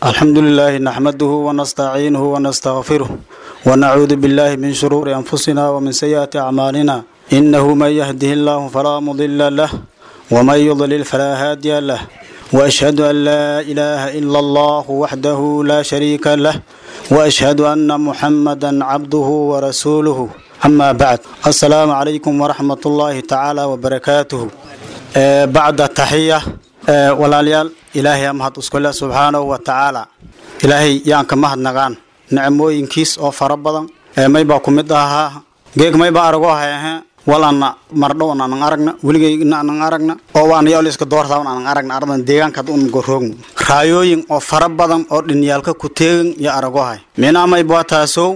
الحمد لله نحمده ونستعينه ونستغفره ونعوذ بالله من شرور أنفسنا ومن سيئات أعمالنا إنه من يهده الله فلا مضل له ومن يضلل فلا هادي له وأشهد أن لا إله إلا الله وحده لا شريك له وأشهد أن محمدا عبده ورسوله أما بعد السلام عليكم ورحمة الله تعالى وبركاته بعد التحية walaalyaal ilaahay aa mahad iskule subxaanahu wa tacaala ilaahay yaan ka mahadnaqaan nicmooyinkiis oo fara badan maybaa ku mid ahaa geeg maybaa aragoo hayahe walana mardhown anan aragna weligayna anan aragna oo waana yaal iska doortaan anan aragna ardan deegaanka un goroogno raayooyin oo fara badan oo dhinyaalka ku teegin iyo aragoo hay minaa maybaa taasow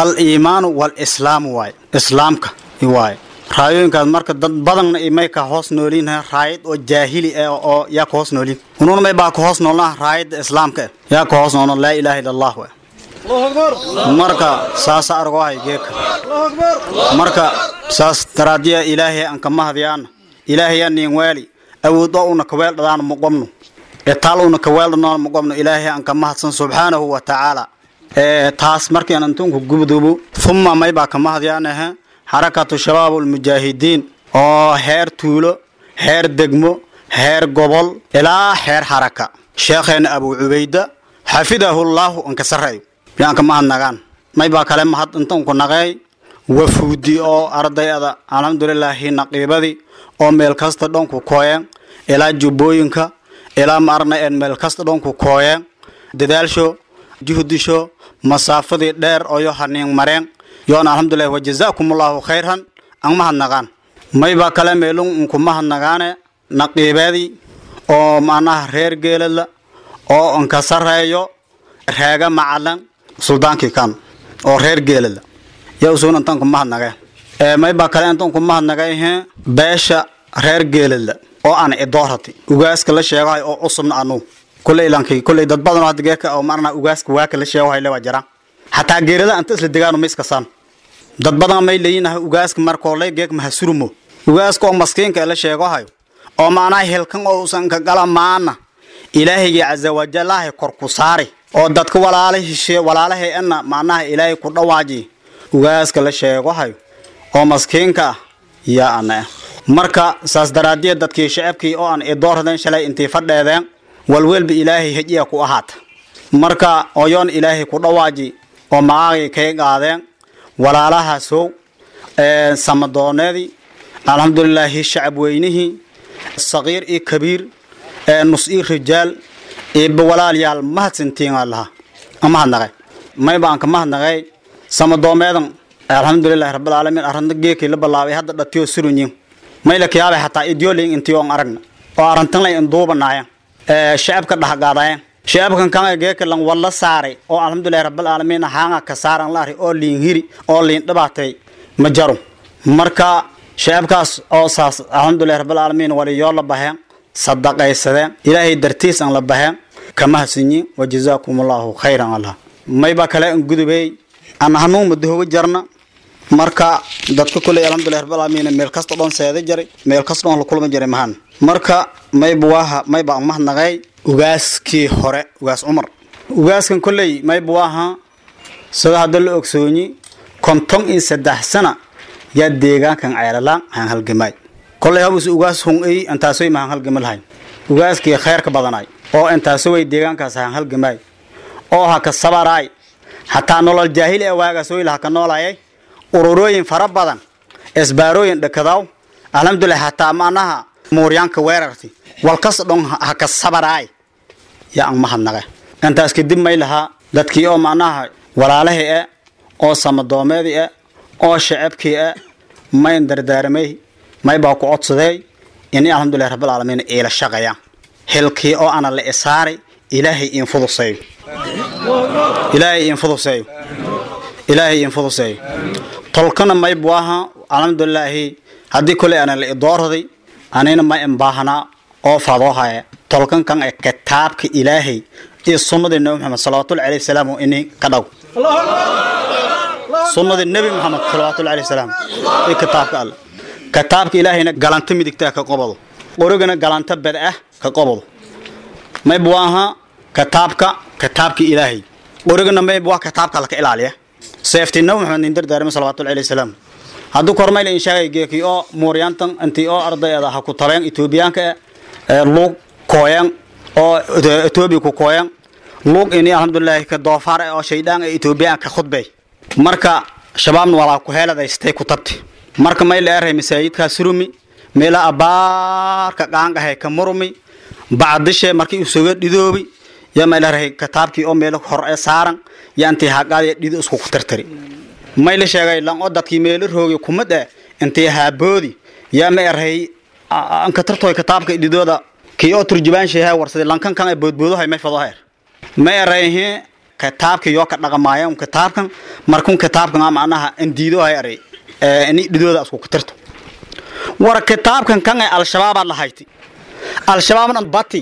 al iimaanu wal islaamu waay islaamka waay raayooyinkaas marka dad badanna may ka hoos nooliin raayad oo jaahili ah oo yaa ka hoos nooliin unuuna may baa ka hoos noolnaa raayadda islaamka ah yaa ka hoos noolna laa ilaaha illa allah waay marka saasa argoo hay geeka marka saas daraadiya ilaahay aan ka mahadiyaana ilaahay yaa niin waali awood oo una ka weel dhadaan muqomno etaal una ka weel dhadaan muqomno ilaahay aan ka mahadsan subxaanahu wa tacaala taas markii aan intuunku gubdubo thumma may baa ka mahadiyaanaha xarakatu shabaab almujaahidiin oo heer tuulo heer degmo heer gobol ilaa heer xaraka sheekheena abuu cubayda xafidahullaahu anka sarreeyo yaan ka mahadnagaan maybaa kale mahad intanku naqeey wafuudi oo ardayada alxamdulilaahi naqiibadii oo meel kasta dhanku kooyeen ilaa jubbooyinka ilaa ma arna een meel kasta dhanku kooyeen dadaalsho juhdisho masaafadii dheer oo yo haniin mareen yoona alxamdulilah wajazaakum allahu khayran an mahadnaqaan maybaa kale meelun unku mahadnaqaane naqiibeedii oo macnaha reer geeladla oo anka sarreeyo reega macalan suldaankii kan oo reer geeladla yaa usuun intaan ku mahadnaqee maybaa kale intaan ku mahadnaqay beesha reer geeladla oo aan idoorati ugaaska la sheegahay oo cusubna anuu kulley ilankii kulley dad badan oo hadda geeka oo macnaha ugaaska waaka la sheegahay le waa jiraan xataa geerada anta isla degaano ma iskasaan dad badan may leeyinahay ugaaska markooley geeg mahasurmo ugaaska oo maskiinka la sheegahayo oo macnaha helkan oo usan ka gala maana ilaahaygi casa wajalaahi kor ku saari oo dadka walaalahishe walaalahay ana macnaha ilaahay ku dhawaaji ugaaska la sheegahayo oo maskiinka ah yaa ana ah marka saas daraadiya dadkii shacabkii oo aan idoorradeen shalay intii fadheedeen walwelba ilaahay hejiya ku ahaata marka oyoon ilaahay ku dhawaaji oo macaagay kay qaadeen walaalahaasow samadooneedii alxamdulilaahi shacab weynihii saqiir iyo kabiir nus iyo rijaal iba walaalyaal mahadsantiin lahaa mahadnaqay mayba aan ka mahadnaqay samadoomeedan alxamdulilahi rabbilcaalamiin arrinta geekii la bilaabay hadda dhatiyo surunyin mayla kiyaabay xataa idyolin intii oon aragna oo arrintan lay induubanaaya shacabka dhexqaadayen shacabkan kan geeka lan walla saaray oo alxamdulilahi rabbilcaalamiin haanga ka saaran la array oo liin hiri oo liin dhibaatay ma jaro marka shacabkaas oo saas alxamdulilahi rabbilcaalamiin waliyoo la baheen sadaqaysadeen ilaahay dartiis aan la baheen kama hasinyin wa jazaakum allahu khayran allah mayba kale an gudubey aan hanuun madahoga jarna marka dadka kuley alxamdulilahi rabbilcaalamiin meel kasta dhoon seeda jaray meel kasta dhoon la kulma jaray mahan marka mayba waaha mayba aan mahadnaqay ugaaskii hore ugaas cumar ugaaskan kolley mayba waaha sida hadda la ogsoonyi 53 sana yaa deegaankan ceelalaan haan halgamaay kolley habus ugaas hun-ey intaasoy mahaan halgama lahayn ugaaskii khayrka badanaay oo intaasoway deegaankaas haan halgamaay oo ha ka sabaraay hataa nolol jaahili ee waagaasooyla ha ka noolayay ururooyin fara badan isbaarooyin dhakadaw alxamdulilah hataa macnaha muuryaanka weerarti walkas dhon ha ka sabaraay yaa aan mahadnaqe intaas kadib may lahaa dadkii oo macnaha walaalahii eh oo samadoomeedii eh oo shacabkii eh mayn dardaaramay may baa ku codsaday ini alxamdulilah rabbilcaalamiin iila shaqayaan hilkii oo ana la isaaray ilaahay iin fuduseeyo ilaahay iin fuduseeyo ilaahay iin fuduseeyo tolkana may buu ahaa alxamdulilaahi haddii koley ana la idoorraday anina ma imbaahanaa oo fadoohaya tolkan kan ee kitaabka ilaahay iyo sunnadii nabi maxamed salawaatullahi alayhi salaam ini ka dhaw sunnadii nabi maxamed salawaatullahi alayhi salaam iyo kitaabka alle kitaabka ilaahayna galanta midigta ka qobado qorigana galanta bad ah ka qobado may buu ahaa kitaabka Kitaabkii Ilaahay qorigana mayb waa kitaabka laka ilaaliya. Seeftii Nabi Maxamed nin dardaarmay salawaatullahi alayhi salaam. Hadduu kormayl in sheegay geekii oo muuryaantan intii oo ardayda ha ku tabeen Itoobiyaanka ee luug kooyan oo Itoobiya ku kooyan luug ini alxamdulillahi ka doofaar oo shaydaan ee Itoobiyaanka khudbay. Marka shabaabna walaa ku heeladaystay ku tabti. Marka may leeyahay masaajidka surumi meela abaarka qaangahay ka murmi bacdishe markii uu soo dhidoobi yaa may leeyahay kitaabkii oo meel hor ee saaran yaa intii haqaad dhido isku ku tirtiri. May la sheegay lan oo dadkii meel roogi kuma dhe intii haaboodi yaa ma erhay an ka tirtoy kitaabka dhidooda kii oo turjubaan sheehay warsaday lankan kan ay boodboodahay may fado heer ma erayhe kitaabka yoo ka dhaqmaayaan kitaabkan markun kitaabkan macnaha in diido hay eray ini dhidooda isku ku tirto. War kitaabkan kan ay al-shabaab la hayti al-shabaabna bati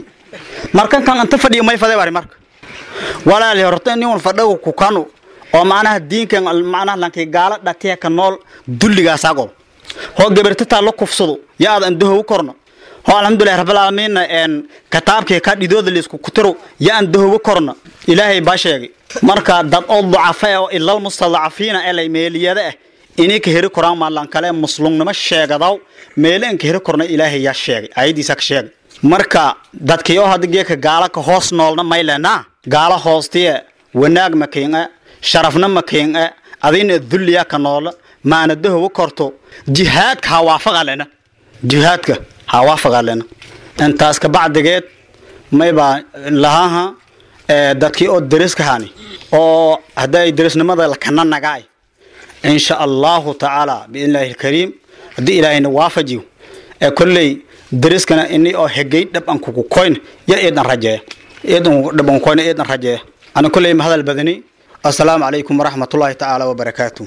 markan kan anta fadhiyo may faday wari. Marka walaal horta in uu fadhiyo ku kanu oo macnaha diinkan macnaha lankay gaala dhatiya ka nool dulligaas ago hoo gabarta taa la kufsado yaa aad andaho u korno hoo alxamdulillahi rabbil aalamiin en kitaabkii ka dhidooda la isku kutiro yaa andaho u korno. Ilaahay baa sheegay marka dad oo ducafa oo ilal mustadcafiina ee meeliyada ah inay ka heri koraan maalan kale muslimnimo sheegadaw meeleen ka heri korna Ilaahay yaa sheegay ayadiisa ka sheegay. Marka dadkii oo hadda geeka gaala ka hoos noolna maylena gaala hoostiye wanaag ma keena sharafna ma keena adina dulliya ka nool maanadahu u korto jihaadka ha waafaqalena jihaadka ha waafaqalena. Intaas ka bacdigeed mayba lahaha dadkii oo dariska hani oo hadday darisnimada la kana nagaay insha Allahu ta'ala bi'ilaahi alkareem hadii Ilaahayna waafajiyo kulley dariskana inii oo hegay dhab an kugu koyn ya eedan rajeeya eedan dhab an koyn eedan rajeeya. Ana kulley ma hadal badani. Assalaamu calaykum waraxmatullaahi ta'ala wabarakaatuh.